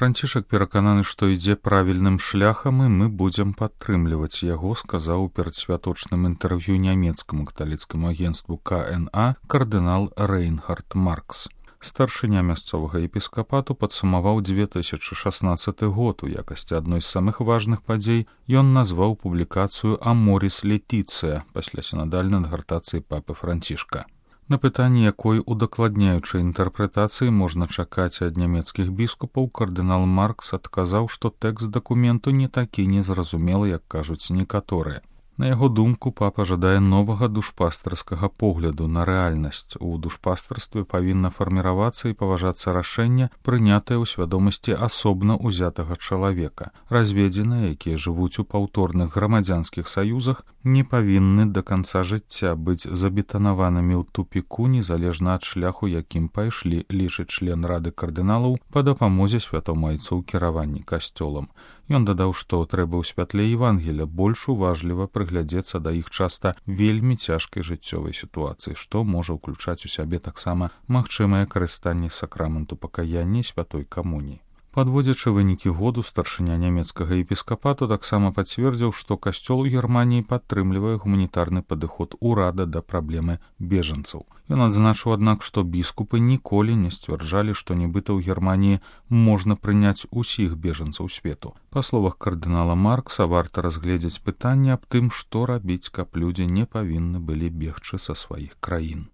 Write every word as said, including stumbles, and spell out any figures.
Францішак перакананы, што ідзе правільным шляхам, і мы будзем падтрымліваць яго, сказаў у перадсвяточным інтэрв'ю нямецкаму каталіцкаму агенцтву ка эн а кардынал Рейнхард Маркс. Старшыня мясцовага епіскапату падсумаваў дзве тысячы шаснаццаты год. У якасці адной з самых важных падзей ён назваў публікацыю «Аморіс Летіцыя» пасля сінадальнай адгартацыі папы Францішка. На пытанне, якой удакладняючай інтэрпрэтацыі можна чакаць ад нямецкіх біскупаў, кардынал Маркс адказаў, што тэкст дакументу не такі незразумелы, як кажуць некаторыя. На яго думку, папа жадае новага душпастарскага погляду на рэальнасць. У душпастарстве павінна фарміравацца і паважацца рашэнне, прынятае ў свядомасці асобна ўзятага чалавека. Разведзеныя, якія жывуць у паўторных грамадзянскіх саюзах, не павінны да канца жыцця быць забетанаванымі ў тупіку, незалежна ад шляху, якім пайшлі, лічыць член рады кардыналаў па дапамозе святому айцу ў кіраванні касцёлам. Ён дадаў, што трэба ў святле Евангеля больш уважліва прыглядзецца да іх часта вельмі цяжкай жыццёвай сітуацыі, што можа ўключаць у сябе таксама магчымае карыстанне сакраменту пакаяння і святой камуніі. Падводзячы вынікі году, старшыня нямецкага епіскапату таксама пацвердзіў, што касцёл у Германіі падтрымлівае гуманітарны падыход урада да праблемы бежанцаў. Ён адзначыў, аднак, што біскупы ніколі не сцвярджалі, што нібыта ў Германіі можна прыняць усіх бежанцаў свету. Па словах кардынала Маркса, варта разгледзець пытанне аб тым, што рабіць, каб людзі не павінны былі бегчы са сваіх краін.